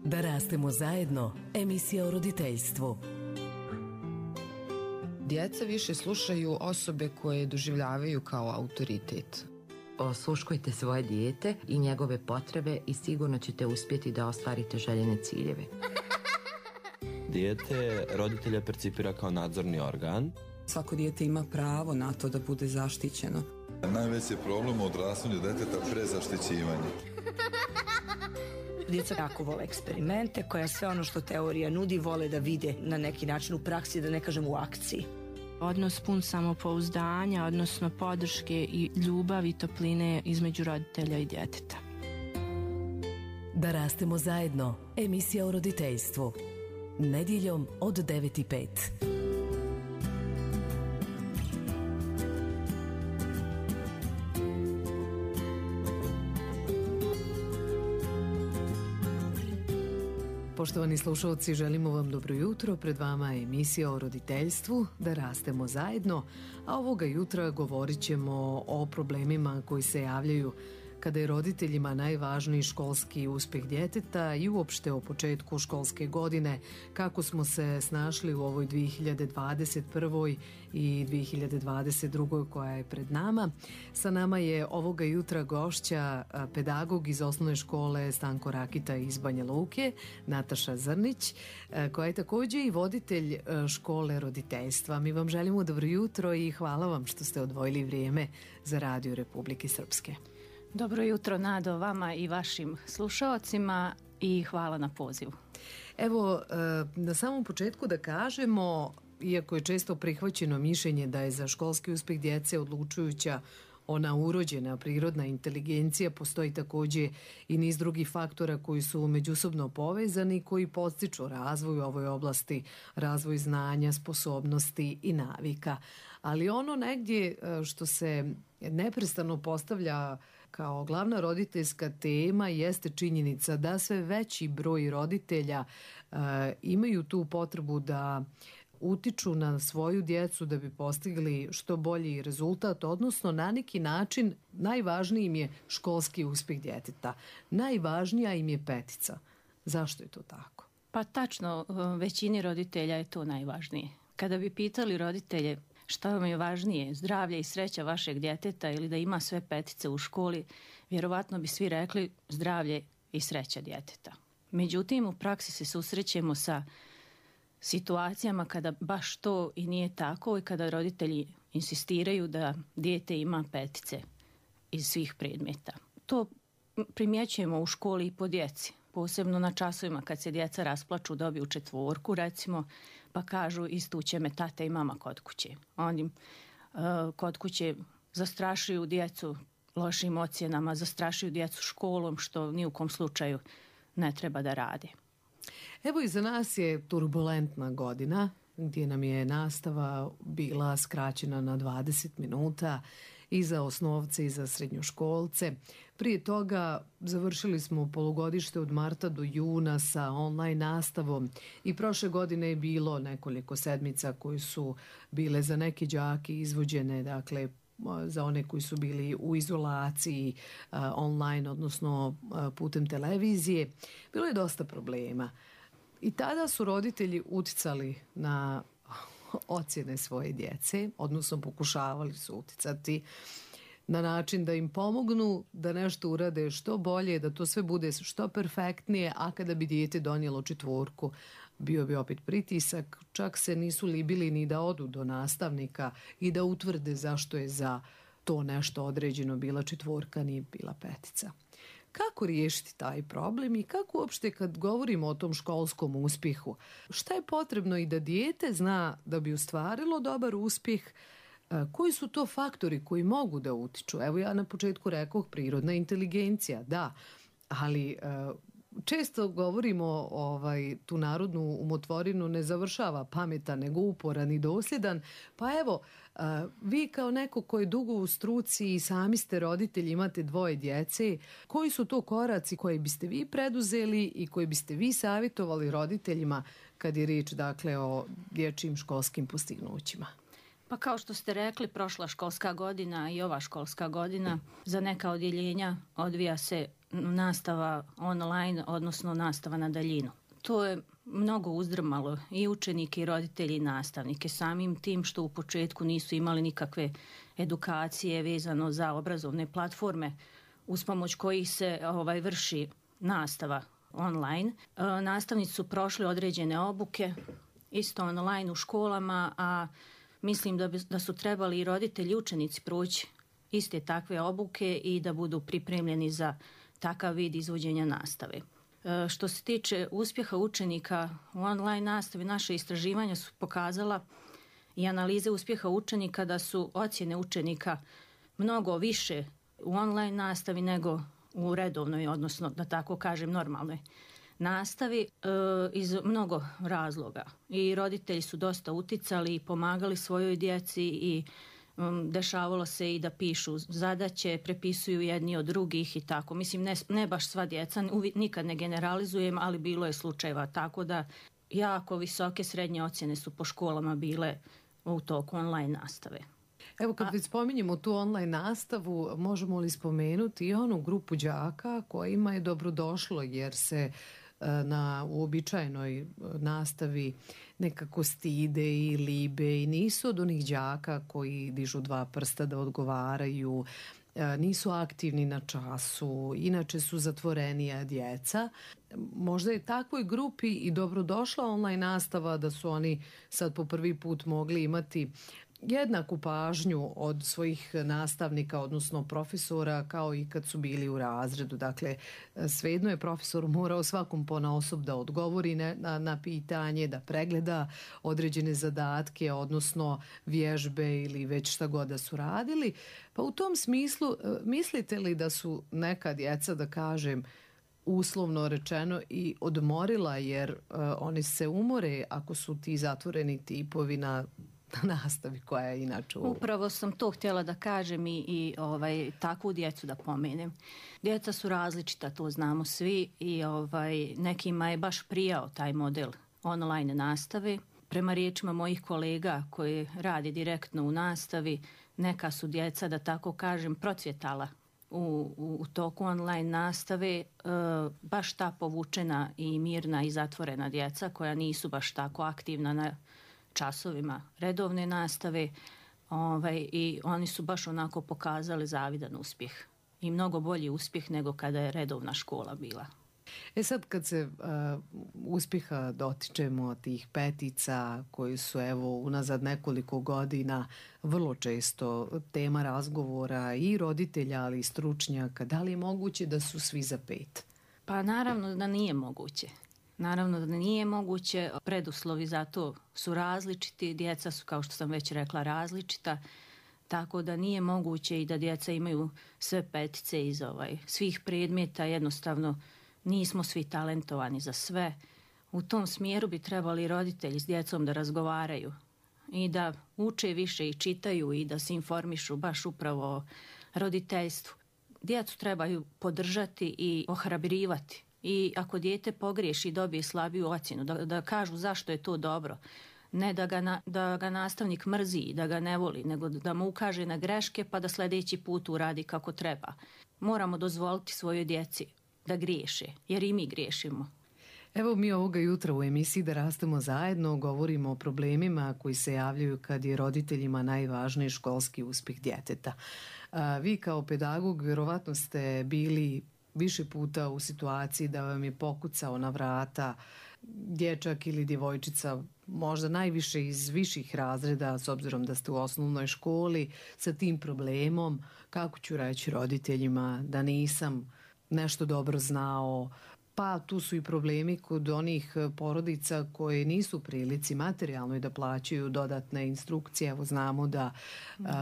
Da rastemo zajedno, emisija o roditeljstvu. Djeca više slušaju osobe koje doživljavaju kao autoritet. Osluškujte svoje dijete i njegove potrebe i sigurno ćete uspjeti da ostvarite željene ciljeve. Dijete roditelja percipira kao nadzorni organ. Svako dijete ima pravo na to da bude zaštićeno. Najveći problem u odrastanju djeteta prezaštićivanje. Djeca jako vole eksperimente, koja sve ono što teorija nudi vole da vide na neki način u praksi, da ne kažem u akciji. Odnos pun samopouzdanja, odnosno podrške i ljubavi i topline između roditelja i djeteta. Da rastemo zajedno, emisija o roditeljstvu. Nedjeljom od 9:05. Poštovani slušalci, želimo vam dobro jutro. Pred vama je emisija o roditeljstvu, da rastemo zajedno, a ovoga jutra govorit ćemo o problemima koji se javljaju kada je roditeljima najvažniji školski uspjeh djeteta i uopšte o početku školske godine, kako smo se snašli u ovoj 2021. i 2022. koja je pred nama. Sa nama je ovoga jutra gošća pedagog iz osnovne škole Stanko Rakita iz Banja Luke, Nataša Zrnić, koja je također i voditelj škole roditeljstva. Mi vam želimo dobro jutro i hvala vam što ste odvojili vrijeme za Radio Republike Srpske. Dobro jutro, Nado, vama i vašim slušaocima i hvala na pozivu. Evo, na samom početku da kažemo, iako je često prihvaćeno mišljenje da je za školski uspjeh djece odlučujuća ona urođena prirodna inteligencija, postoji također i niz drugih faktora koji su međusobno povezani, koji podstiču razvoj u ovoj oblasti, razvoj znanja, sposobnosti i navika. Ali ono negdje što se neprestano postavlja kao glavna roditeljska tema jeste činjenica da sve veći broj roditelja imaju tu potrebu da utiču na svoju djecu da bi postigli što bolji rezultat, odnosno na neki način najvažniji im je školski uspjeh djeteta. Najvažnija im je petica. Zašto je to tako? Pa tačno, većini roditelja je to najvažnije. Kada bi pitali roditelje šta vam je važnije, zdravlje i sreća vašeg djeteta ili da ima sve petice u školi, vjerovatno bi svi rekli zdravlje i sreća djeteta. Međutim, u praksi se susrećemo sa situacijama kada baš to i nije tako i kada roditelji insistiraju da dijete ima petice iz svih predmeta. To primjećujemo u školi i po djeci, posebno na časovima kad se djeca rasplaču, dobiju 4 recimo, pa kažu istuće me tata i mama kod kuće. Oni kod kuće zastrašuju djecu lošim ocjenama, zastrašuju djecu školom, što ni u kom slučaju ne treba da rade. Evo, iza nas je turbulentna godina gdje nam je nastava bila skraćena na 20 minuta i za osnovce i za srednjoškolce. Prije toga završili smo polugodište od marta do juna sa online nastavom i prošle godine je bilo nekoliko sedmica koje su bile za neke đake izvođene, dakle za one koji su bili u izolaciji online, odnosno putem televizije. Bilo je dosta problema. I tada su roditelji uticali na ocjene svoje djece, odnosno pokušavali su uticati na način da im pomognu da nešto urade što bolje, da to sve bude što perfektnije, a kada bi dijete donijelo 4, bio bi opet pritisak, čak se nisu libili ni da odu do nastavnika i da utvrde zašto je za to nešto određeno bila 4, nije bila 5. Kako riješiti taj problem i kako uopšte kad govorimo o tom školskom uspjehu, šta je potrebno i da dijete zna da bi ostvarilo dobar uspjeh, koji su to faktori koji mogu da utiču? Evo, ja na početku rekoh prirodna inteligencija, da, ali često govorimo tu narodnu umotvorinu ne završava pametan nego uporan i dosljedan, pa evo vi kao neko koji je dugo u struci i sami ste roditelji, imate 2 djece, koji su to koraci koje biste vi preduzeli i koji biste vi savjetovali roditeljima kad je riječ dakle o dječjim školskim postignućima? Pa kao što ste rekli, prošla školska godina i ova školska godina za neka odjeljenja odvija se nastava online, odnosno nastava na daljinu. To je mnogo uzdrmalo i učenike i roditelji i nastavnike, samim tim što u početku nisu imali nikakve edukacije vezano za obrazovne platforme uz pomoć kojih se vrši nastava online. Nastavnici su prošli određene obuke, isto online u školama, a mislim da su trebali i roditelji i učenici proći iste takve obuke i da budu pripremljeni za takav vid izvođenja nastave. Što se tiče uspjeha učenika u online nastavi, naše istraživanja su pokazala i analize uspjeha učenika da su ocjene učenika mnogo više u online nastavi nego u redovnoj, odnosno da tako kažem normalnoj nastavi iz mnogo razloga. I roditelji su dosta uticali i pomagali svojoj djeci i dešavalo se i da pišu zadaće, prepisuju jedni od drugih i tako. Mislim, ne baš sva djeca, nikad ne generalizujem, ali bilo je slučajeva. Tako da jako visoke srednje ocjene su po školama bile u toku online nastave. Evo kad već spominjemo tu online nastavu, možemo li spomenuti i onu grupu đaka kojima je dobrodošlo jer se na uobičajenoj nastavi nekako stide i libe i nisu od onih đaka koji dižu dva prsta da odgovaraju, nisu aktivni na času, inače su zatvorenija djeca. Možda je takvoj grupi i dobrodošla online nastava da su oni sad po prvi put mogli imati jednaku pažnju od svojih nastavnika, odnosno profesora, kao i kad su bili u razredu. Dakle, svejedno je profesor morao svakom ponaosob da odgovori na pitanje, da pregleda određene zadatke, odnosno vježbe ili već šta god da su radili. Pa u tom smislu, mislite li da su neka djeca, da kažem, uslovno rečeno i odmorila, jer oni se umore ako su ti zatvoreni tipovi na nastavi koja je inače Upravo sam to htjela da kažem i takvu djecu da pomenem. Djeca su različita, to znamo svi i nekima je baš prijao taj model online nastave. Prema riječima mojih kolega koji radi direktno u nastavi, neka su djeca, da tako kažem, procvjetala u toku online nastave, baš ta povučena i mirna i zatvorena djeca koja nisu baš tako aktivna na časovima redovne nastave i oni su baš onako pokazali zavidan uspjeh i mnogo bolji uspjeh nego kada je redovna škola bila. Sad kad se uspjeha dotičemo tih petica koji su evo unazad nekoliko godina vrlo često tema razgovora i roditelja ali i stručnjaka, da li je moguće da su svi za 5? Pa naravno da nije moguće. Naravno da nije moguće, preduslovi za to su različiti, djeca su, kao što sam već rekla, različita, tako da nije moguće i da djeca imaju sve petice iz svih predmeta, jednostavno nismo svi talentovani za sve. U tom smjeru bi trebali roditelji s djecom da razgovaraju i da uče više i čitaju i da se informišu baš upravo o roditeljstvu. Djecu trebaju podržati i ohrabrivati. I ako dijete pogriješi i dobije slabiju ocjenu, da kažu zašto je to dobro. Ne da ga nastavnik mrzi i da ga ne voli, nego da mu ukaže na greške pa da sljedeći put uradi kako treba. Moramo dozvoliti svojoj djeci da griješe, jer i mi griješimo. Evo mi ovoga jutra u emisiji Da rastemo zajedno govorimo o problemima koji se javljaju kad je roditeljima najvažniji školski uspjeh djeteta. Vi kao pedagog vjerovatno ste bili više puta u situaciji da vam je pokucao na vrata dječak ili djevojčica, možda najviše iz viših razreda, s obzirom da ste u osnovnoj školi, sa tim problemom, kako ću reći roditeljima da nisam nešto dobro znao. Pa tu su i problemi kod onih porodica koje nisu u prilici materijalno i da plaćaju dodatne instrukcije. Evo znamo da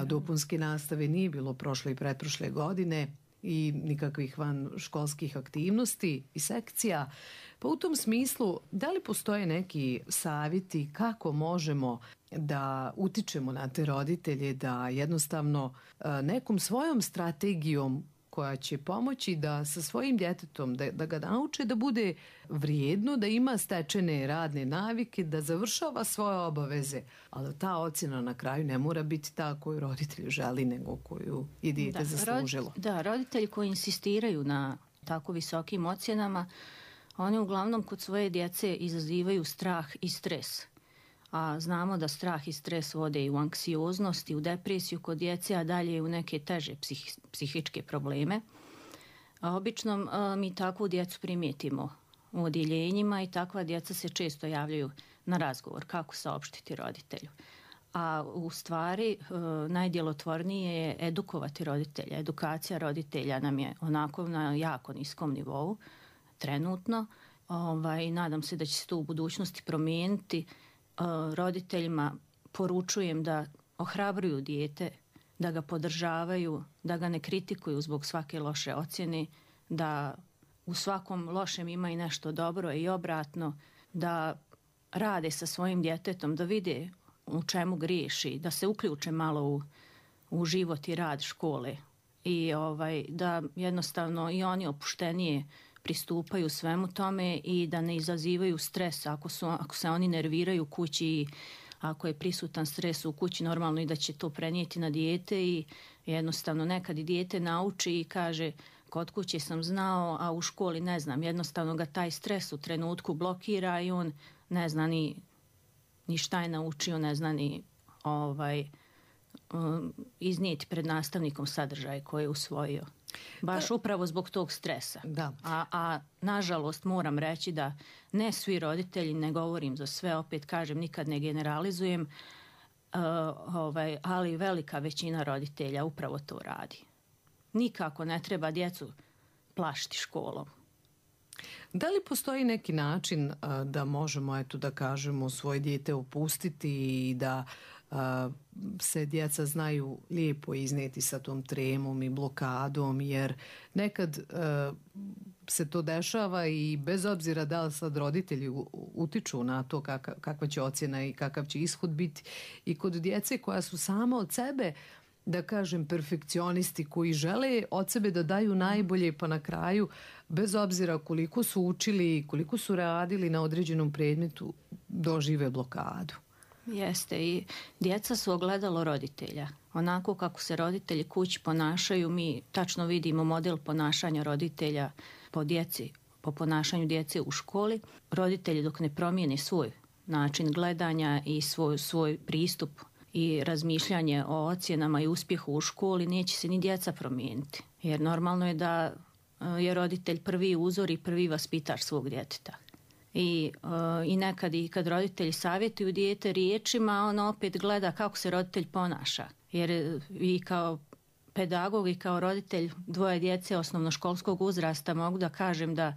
dopunske nastave nije bilo prošle i pretprošle godine i nikakvih van školskih aktivnosti i sekcija. Pa u tom smislu, da li postoje neki savjeti kako možemo da utičemo na te roditelje da jednostavno nekom svojom strategijom koja će pomoći da sa svojim djetetom, da ga nauče da bude vrijedno, da ima stečene radne navike, da završava svoje obaveze, ali ta ocjena na kraju ne mora biti ta koju roditelj želi, nego koju je dijete zaslužilo. Roditelji koji insistiraju na tako visokim ocjenama, oni uglavnom kod svoje djece izazivaju strah i stres. A znamo da strah i stres vode i u anksioznost i u depresiju kod djece, a dalje u neke teže psihičke probleme. A obično mi takvu djecu primijetimo u odjeljenjima i takva djeca se često javljaju na razgovor kako saopštiti roditelju. A u stvari najdjelotvornije je edukovati roditelja. Edukacija roditelja nam je onako na jako niskom nivou trenutno. Nadam se da će se to u budućnosti promijeniti. Roditeljima poručujem da ohrabruju dijete, da ga podržavaju, da ga ne kritikuju zbog svake loše ocjene, da u svakom lošem ima i nešto dobro i obratno, da rade sa svojim djetetom, da vide u čemu griješi, da se uključe malo u život i rad škole i da jednostavno i oni opuštenije pristupaju svemu tome i da ne izazivaju stres ako se oni nerviraju u kući i ako je prisutan stres u kući, normalno i da će to prenijeti na dijete i jednostavno nekad i dijete nauči i kaže kod kuće sam znao, a u školi ne znam. Jednostavno ga taj stres u trenutku blokira i on ne zna ni šta je naučio, ne zna ni iznijeti pred nastavnikom sadržaj koji je usvojio. Baš upravo zbog tog stresa. Da. A nažalost moram reći da ne svi roditelji, ne govorim za sve, opet kažem, nikad ne generalizujem, ali velika većina roditelja upravo to radi. Nikako ne treba djecu plašiti školom. Da li postoji neki način da možemo, da kažemo, svoje dijete opustiti i da se djeca znaju lijepo iznijeti sa tom tremom i blokadom, jer nekad se to dešava i bez obzira da li sad roditelji utiču na to kakva će ocjena i kakav će ishod biti, i kod djece koja su sama od sebe, da kažem, perfekcionisti koji žele od sebe da daju najbolje, pa na kraju, bez obzira koliko su učili, koliko su radili na određenom predmetu, dožive blokadu. Jeste, i djeca su ogledalo roditelja. Onako kako se roditelji kući ponašaju, mi tačno vidimo model ponašanja roditelja po ponašanju djece u školi. Roditelji dok ne promijene svoj način gledanja i svoj pristup i razmišljanje o ocjenama i uspjehu u školi, neće se ni djeca promijeniti. Jer normalno je da je roditelj prvi uzor i prvi vaspitač svog djeteta. I nekad i kad roditelji savjetuju dijete riječima, on opet gleda kako se roditelj ponaša. Jer i kao pedagog i kao roditelj dvoje djece osnovnoškolskog uzrasta mogu da kažem da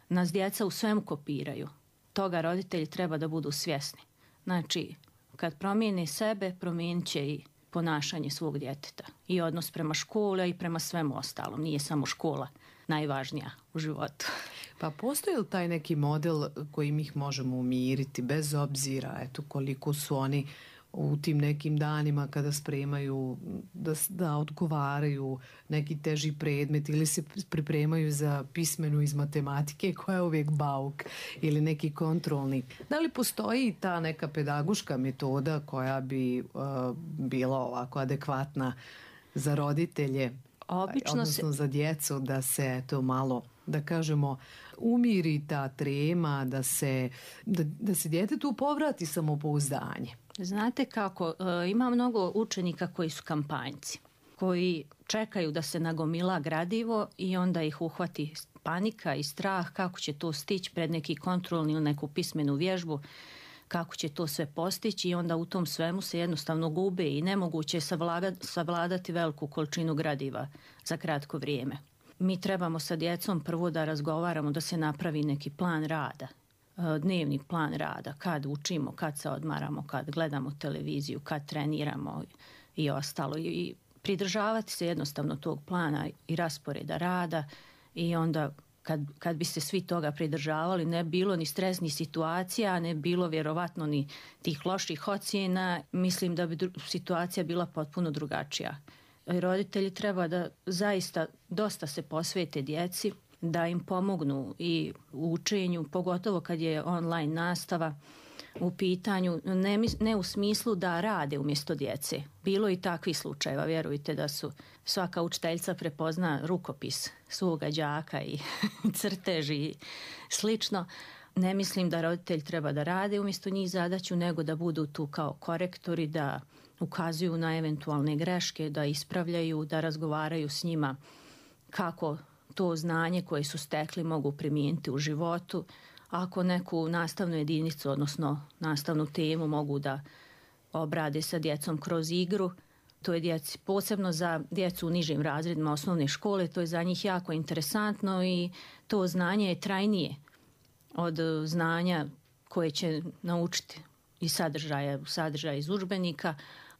nas djeca u svemu kopiraju. Toga roditelji treba da budu svjesni. Znači, kad promijene sebe, promijenit će i ponašanje svog djeteta. I odnos prema školi i prema svemu ostalom. Nije samo škola najvažnija u životu. Pa postoji li taj neki model kojim ih možemo umiriti bez obzira koliko su oni u tim nekim danima kada spremaju da odgovaraju neki teži predmet ili se pripremaju za pismenu iz matematike koja je uvijek bauk ili neki kontrolni. Da li postoji ta neka pedagoška metoda koja bi bila ovako adekvatna za roditelje, odnosno za djecu, da se to malo, da kažemo, umiri ta trema, da se djetetu povrati samopouzdanje? Znate kako, ima mnogo učenika koji su kampanjci, koji čekaju da se nagomila gradivo i onda ih uhvati panika i strah kako će to stići pred neki kontrolni ili neku pismenu vježbu, kako će to sve postići, i onda u tom svemu se jednostavno gube i nemoguće je savladati veliku količinu gradiva za kratko vrijeme. Mi trebamo sa djecom prvo da razgovaramo, da se napravi neki plan rada, dnevni plan rada, kad učimo, kad se odmaramo, kad gledamo televiziju, kad treniramo i ostalo. I pridržavati se jednostavno tog plana i rasporeda rada, i onda kad bi se svi toga pridržavali, ne bilo ni stresnih situacija, ne bilo vjerovatno ni tih loših ocjena, mislim da bi situacija bila potpuno drugačija. roditelji treba da zaista dosta se posvete djeci, da im pomognu i u učenju, pogotovo kad je online nastava u pitanju, ne u smislu da rade umjesto djece. Bilo i takvih slučajeva, vjerujte da su svaka učiteljica prepozna rukopis svoga đaka i crtež i slično. Ne mislim da roditelj treba da rade umjesto njih zadaću, nego da budu tu kao korektori, da ukazuju na eventualne greške, da ispravljaju, da razgovaraju s njima kako to znanje koje su stekli mogu primijeniti u životu. Ako neku nastavnu jedinicu, odnosno nastavnu temu mogu da obrade sa djecom kroz igru, to je djeci, posebno za djecu u nižim razredima osnovne škole, to je za njih jako interesantno i to znanje je trajnije od znanja koje će naučiti iz sadržaja iz udžbenika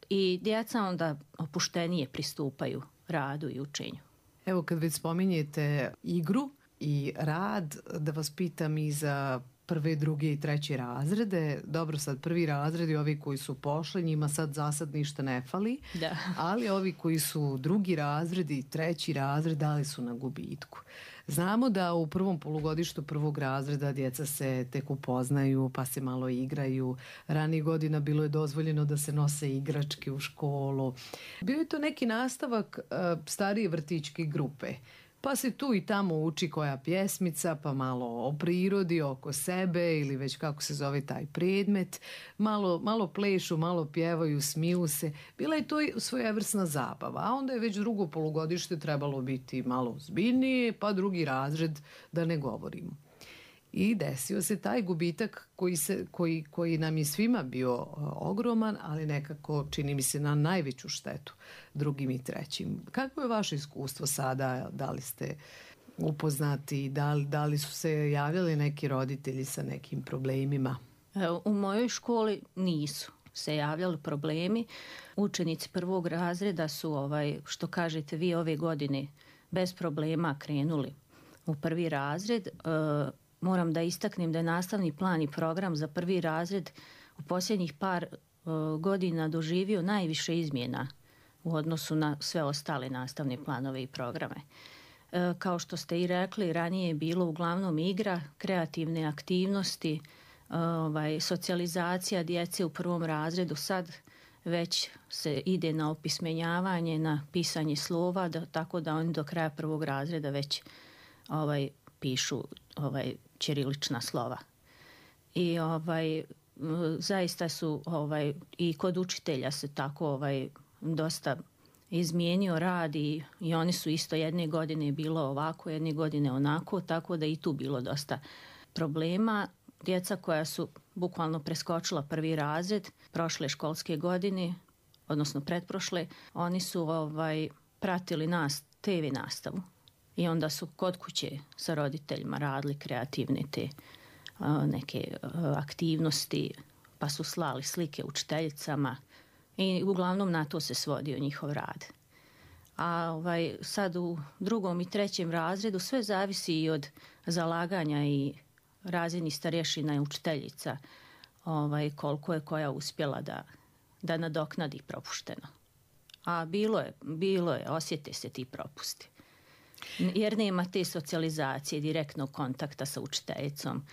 i djeca onda opuštenije pristupaju radu i učenju. Evo kad već spominjete igru i rad, da vas pitam i za prve, druge i treće razrede. Dobro, sad prvi razredi, ovi koji su pošli, njima sad ništa ne fali, da. Ali ovi koji su drugi razredi i treći razred, da li su na gubitku? Znamo da u prvom polugodištu prvog razreda djeca se tek upoznaju, pa se malo igraju. Ranijih godina bilo je dozvoljeno da se nose igračke u školu. Bio je to neki nastavak starije vrtićke grupe. Pa se tu i tamo uči koja pjesmica, pa malo o prirodi, oko sebe ili već kako se zove taj predmet. Malo plešu, malo pjevaju, smiju se. Bila je to svojevrsna zabava, a onda je već drugo polugodište trebalo biti malo ozbiljnije, pa drugi razred da ne govorimo. I desio se taj gubitak koji nam je svima bio ogroman, ali nekako čini mi se na najveću štetu drugim i trećim. Kako je vaše iskustvo sada? Da li ste upoznati? Da li su se javljali neki roditelji sa nekim problemima? U mojoj školi nisu se javljali problemi. Učenici prvog razreda su, što kažete vi, ove godine bez problema krenuli u prvi razred. Moram da istaknem da je nastavni plan i program za prvi razred u posljednjih par godina doživio najviše izmjena u odnosu na sve ostale nastavne planove i programe. Kao što ste i rekli, ranije je bilo uglavnom igra, kreativne aktivnosti, socijalizacija djece u prvom razredu. Sad već se ide na opismenjavanje, na pisanje slova, tako da oni do kraja prvog razreda već pišu ćirilična slova. I zaista su i kod učitelja se tako dosta izmijenio rad i oni su isto jedne godine bilo ovako, jedne godine onako, tako da i tu bilo dosta problema. Djeca koja su bukvalno preskočila prvi razred prošle školske godine, odnosno pretprošle, oni su pratili TV nastavu. I onda su kod kuće sa roditeljima radili kreativne te neke aktivnosti, pa su slali slike učiteljicama i uglavnom na to se svodio njihov rad. A sad u drugom i trećem razredu sve zavisi i od zalaganja i razrednih starješina i učiteljica koliko je koja uspjela da nadoknadi propušteno. A bilo je, osjete se ti propusti. Jer nema te socijalizacije, direktnog kontakta sa učiteljicom.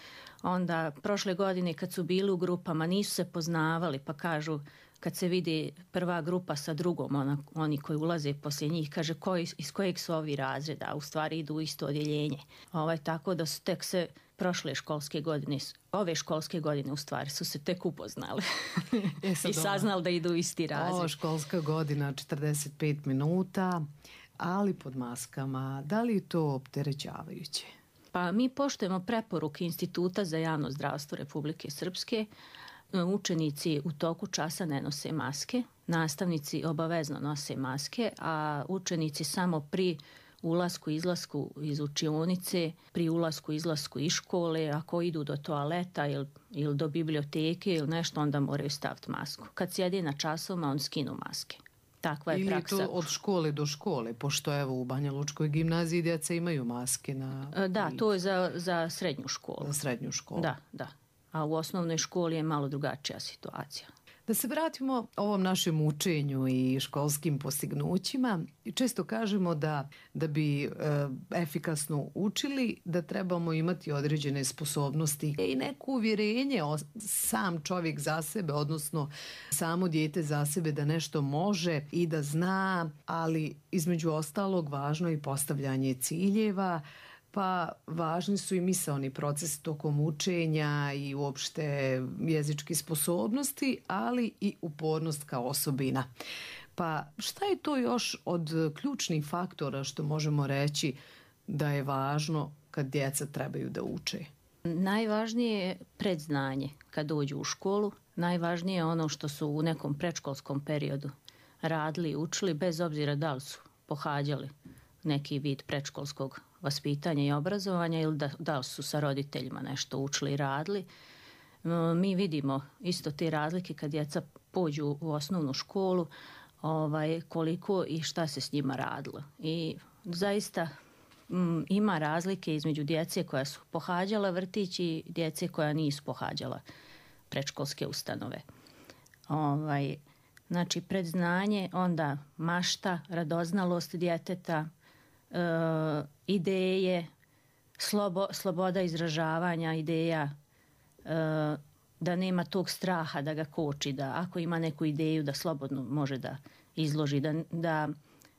Onda prošle godine kad su bili u grupama nisu se poznavali, pa kažu kad se vidi prva grupa sa drugom, oni koji ulaze poslije njih, kaže iz kojeg su ovi razreda, a u stvari idu u isto odjeljenje. Tako da su tek se ove školske godine u stvari su se tek upoznali i saznali da idu u isti razred. Školska godina 45 minuta, ali pod maskama. Da li je to opterećavajuće? Pa mi poštujemo preporuke Instituta za javno zdravstvo Republike Srpske. Učenici u toku časa ne nose maske, nastavnici obavezno nose maske, a učenici samo pri ulasku, izlasku iz učionice, pri ulasku, izlasku iz škole, ako idu do toaleta ili do biblioteke ili nešto, onda moraju staviti masku. Kad sjede na časovima, on skinu maske. Takva je praksa. Ili to od škole do škole, pošto evo u Banja Lučkoj gimnaziji djeca imaju maske na... Da, to je za srednju školu. Za srednju školu. Da. A u osnovnoj školi je malo drugačija situacija. Da se vratimo ovom našem učenju i školskim postignućima. Često kažemo da bi efikasno učili, da trebamo imati određene sposobnosti i neko uvjerenje sam čovjek za sebe, odnosno samo dijete za sebe da nešto može i da zna, ali između ostalog važno je i postavljanje ciljeva, pa važni su i misaoni proces tokom učenja i uopšte jezičke sposobnosti, ali i upornost kao osobina. Pa šta je to još od ključnih faktora što možemo reći da je važno kad djeca trebaju da uče? Najvažnije je predznanje kad dođu u školu. Najvažnije je ono što su u nekom predškolskom periodu radili i učili, bez obzira da li su pohađali neki vid predškolskog vaspitanja i obrazovanja ili da li su sa roditeljima nešto učili i radili. Mi vidimo isto te razlike kad djeca pođu u osnovnu školu, koliko i šta se s njima radilo. I zaista ima razlike između djece koja su pohađala vrtić i djece koja nisu pohađala predškolske ustanove. Znači, predznanje, onda mašta, radoznalost djeteta, ideje, sloboda izražavanja ideja, da nema tog straha da ga koči, da ako ima neku ideju da slobodno može da izloži, da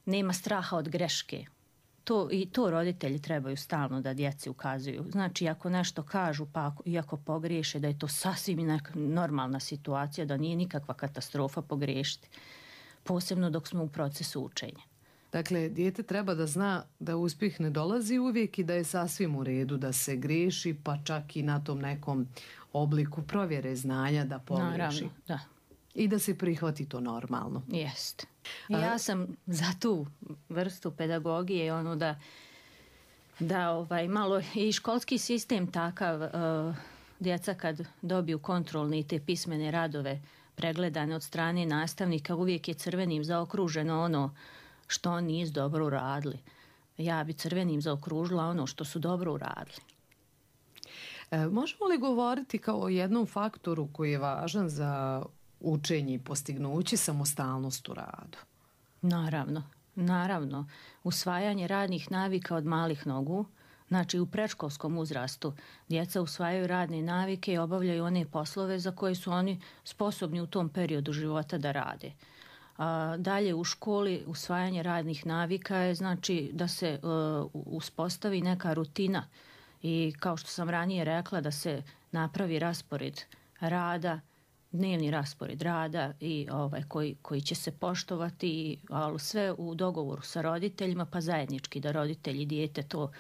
nema straha od greške. To roditelji trebaju stalno da djeci ukazuju. Znači, ako nešto kažu, pa iako pogriješe, da je to sasvim normalna situacija, da nije nikakva katastrofa pogriješiti, posebno dok smo u procesu učenja. Dakle, dijete treba da zna da uspjeh ne dolazi uvijek i da je sasvim u redu da se griješi, pa čak i na tom nekom obliku provjere znanja da pogriješi. Naravno, da. I da se prihvati to normalno. Jest. Ja sam za tu vrstu pedagogije, da malo i školski sistem takav, djeca kad dobiju kontrolne i te pismene radove pregledane od strane nastavnika, uvijek je crvenim zaokruženo ono što oni nisu dobro uradili. Ja bi crvenim zaokružila ono što su dobro uradili. Možemo li govoriti kao o jednom faktoru koji je važan za učenje i postignuće, samostalnost u radu? Naravno. Usvajanje radnih navika od malih nogu. Znači, u predškolskom uzrastu djeca usvajaju radne navike i obavljaju one poslove za koje su oni sposobni u tom periodu života da rade. Dalje u školi usvajanje radnih navika je znači da se uspostavi neka rutina i kao što sam ranije rekla da se napravi raspored rada, dnevni raspored rada i koji će se poštovati, ali sve u dogovoru sa roditeljima, pa zajednički da roditelji i dijete to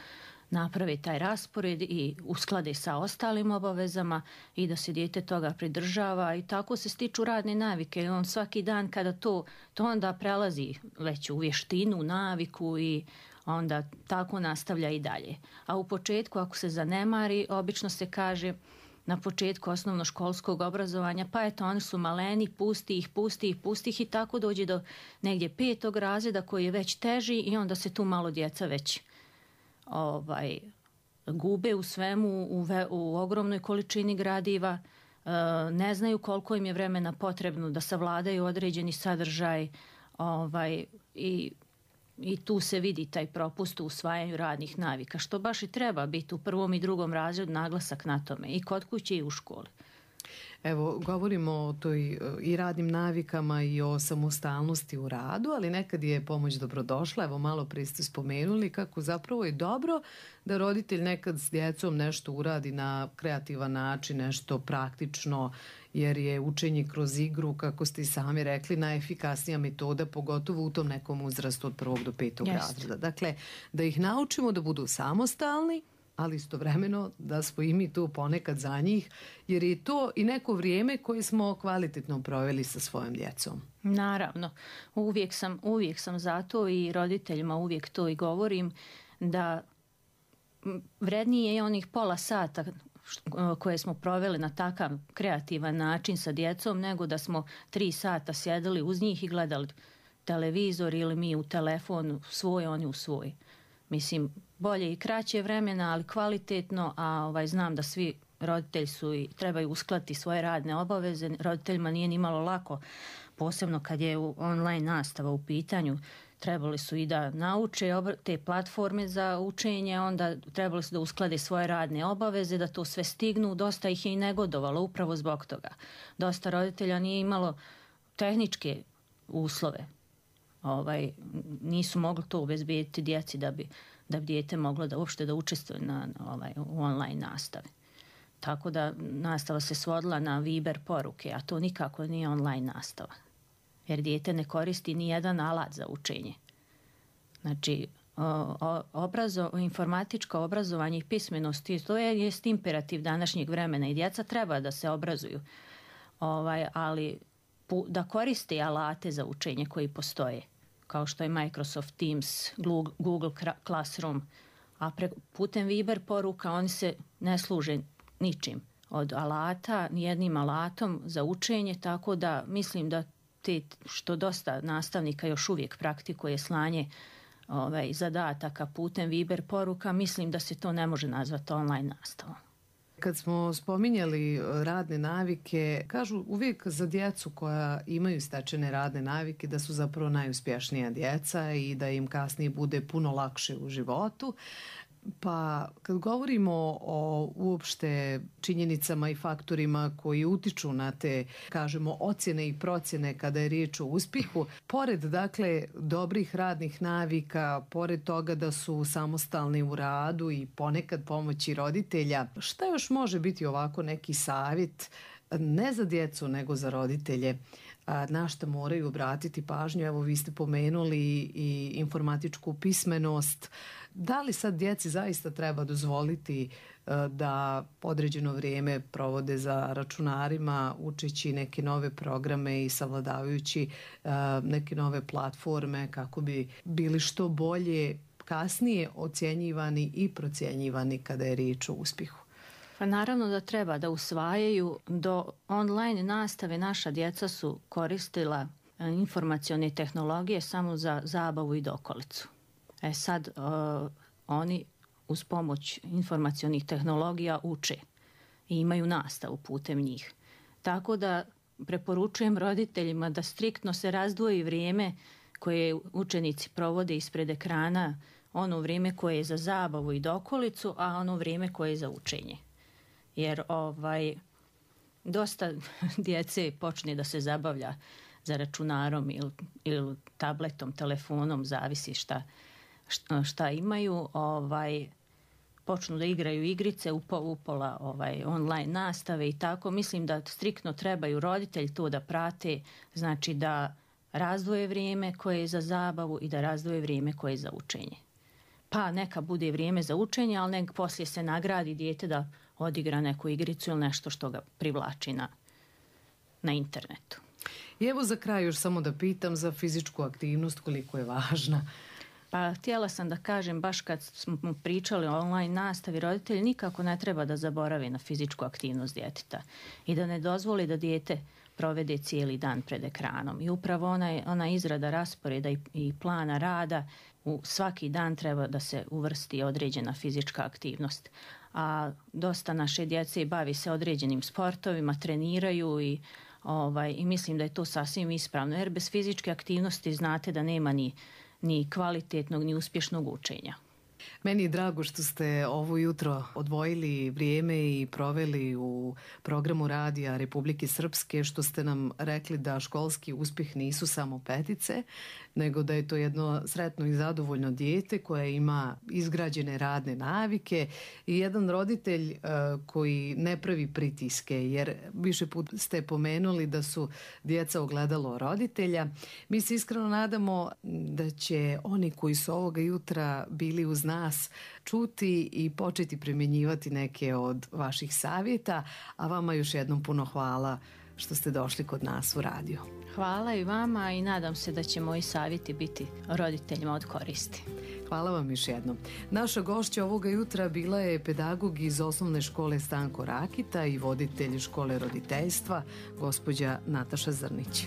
naprave taj raspored i usklade sa ostalim obavezama i da se dijete toga pridržava i tako se stiču radne navike. On svaki dan kada to onda prelazi već u vještinu, naviku i onda tako nastavlja i dalje. A u početku ako se zanemari, obično se kaže na početku osnovnoškolskog obrazovanja, pa eto, oni su maleni, pusti ih i tako dođe do negdje 5. razreda koji je već teži i onda se tu malo djeca već gube u svemu, u ogromnoj količini gradiva, ne znaju koliko im je vremena potrebno da savladaju određeni sadržaj i tu se vidi taj propust u usvajanju radnih navika, što baš i treba biti u 1. i 2. razredu naglasak na tome i kod kuće i u školi. Evo, govorimo o toj i radnim navikama i o samostalnosti u radu, ali nekad je pomoć dobrodošla. Evo, malo prije ste spomenuli kako zapravo je dobro da roditelj nekad s djecom nešto uradi na kreativan način, nešto praktično, jer je učenje kroz igru, kako ste i sami rekli, najefikasnija metoda, pogotovo u tom nekom uzrastu od 1. do 5. razreda. Dakle, da ih naučimo da budu samostalni, ali istovremeno da smo i mi tu ponekad za njih, jer je to i neko vrijeme koje smo kvalitetno proveli sa svojom djecom. Naravno, uvijek sam za to i roditeljima uvijek to i govorim, da vrednije je onih pola sata koje smo proveli na takav kreativan način sa djecom, nego da smo 3 sata sjedili uz njih i gledali televizor ili mi u telefon svoj, oni u svoj. Mislim, bolje i kraće vremena, ali kvalitetno, a znam da svi roditelji trebaju uskladiti svoje radne obaveze. Roditeljima nije ni malo lako, posebno kad je online nastava u pitanju. Trebali su i da nauče te platforme za učenje, onda trebali su da usklade svoje radne obaveze, da to sve stignu. Dosta ih je i negodovalo upravo zbog toga. Dosta roditelja nije imalo tehničke uslove. Nisu mogli to obezbediti djeci da bi dijete moglo da uopšte da učestvuje u online nastavi. Tako da nastava se svodila na Viber poruke, a to nikako nije online nastava. Jer dijete ne koristi ni jedan alat za učenje. Znači, informatičko obrazovanje i pismenost, to je imperativ današnjeg vremena i djeca treba da se obrazuju. Ali da koriste alate za učenje koji postoje, kao što je Microsoft Teams, Google Classroom, a putem Viber poruka oni se ne služe ničim od alata, nijednim alatom za učenje, tako da mislim da što dosta nastavnika još uvijek praktikuje slanje zadataka putem Viber poruka, mislim da se to ne može nazvati online nastavom. Kad smo spominjali radne navike, kažu uvijek za djecu koja imaju stečene radne navike da su zapravo najuspješnija djeca i da im kasnije bude puno lakše u životu. Pa kad govorimo o uopšte činjenicama i faktorima koji utiču na te, kažemo, ocjene i procjene kada je riječ o uspjehu, pored dakle dobrih radnih navika, pored toga da su samostalni u radu i ponekad pomoći roditelja, šta još može biti ovako neki savjet, ne za djecu nego za roditelje, na što moraju obratiti pažnju? Evo, vi ste pomenuli i informatičku pismenost. Da li sad djeci zaista treba dozvoliti da određeno vrijeme provode za računarima, učeći neke nove programe i savladavajući neke nove platforme kako bi bili što bolje kasnije ocjenjivani i procjenjivani kada je riječ o uspjehu? Pa naravno da treba da usvajaju. Do online nastave naša djeca su koristila informacione tehnologije samo za zabavu i dokolicu. Sad oni uz pomoć informacionih tehnologija uče i imaju nastavu putem njih. Tako da preporučujem roditeljima da striktno se razdvoji vrijeme koje učenici provode ispred ekrana, ono vrijeme koje je za zabavu i dokolicu, a ono vrijeme koje je za učenje. Jer dosta djece počne da se zabavlja za računarom ili tabletom, telefonom, zavisi šta imaju, počnu da igraju igrice upola online nastave i tako. Mislim da striktno trebaju roditelji to da prate, znači da razdvoje vrijeme koje je za zabavu i da razdvoje vrijeme koje je za učenje. Pa neka bude vrijeme za učenje, ali nek poslije se nagradi dijete da odigra neku igricu ili nešto što ga privlači na internetu. I evo za kraj još samo da pitam za fizičku aktivnost, koliko je važna. Pa htjela sam da kažem, baš kad smo pričali o online nastavi, roditelji nikako ne treba da zaborave na fizičku aktivnost djeteta i da ne dozvoli da dijete provede cijeli dan pred ekranom. I upravo ona izrada rasporeda i plana rada, u svaki dan treba da se uvrsti određena fizička aktivnost. A dosta naše djece bavi se određenim sportovima, treniraju i mislim da je to sasvim ispravno, jer bez fizičke aktivnosti znate da nema ni kvalitetnog ni uspješnog učenja. Meni je drago što ste ovo jutro odvojili vrijeme i proveli u programu radija Republike Srpske, što ste nam rekli da školski uspjeh nisu samo petice, nego da je to jedno sretno i zadovoljno dijete koje ima izgrađene radne navike i jedan roditelj koji ne pravi pritiske, jer više put ste pomenuli da su djeca ogledalo roditelja. Mi se iskreno nadamo da će oni koji su ovoga jutra bili uz nas čuti i početi primjenjivati neke od vaših savjeta, a vama još jednom puno hvala što ste došli kod nas u radio. Hvala i vama i nadam se da će moji savjeti biti roditeljima od koristi. Hvala vam još jednom. Naša gošća ovoga jutra bila je pedagog iz osnovne škole Stanko Rakita i voditelj škole roditeljstva, gospođa Nataša Zrnić.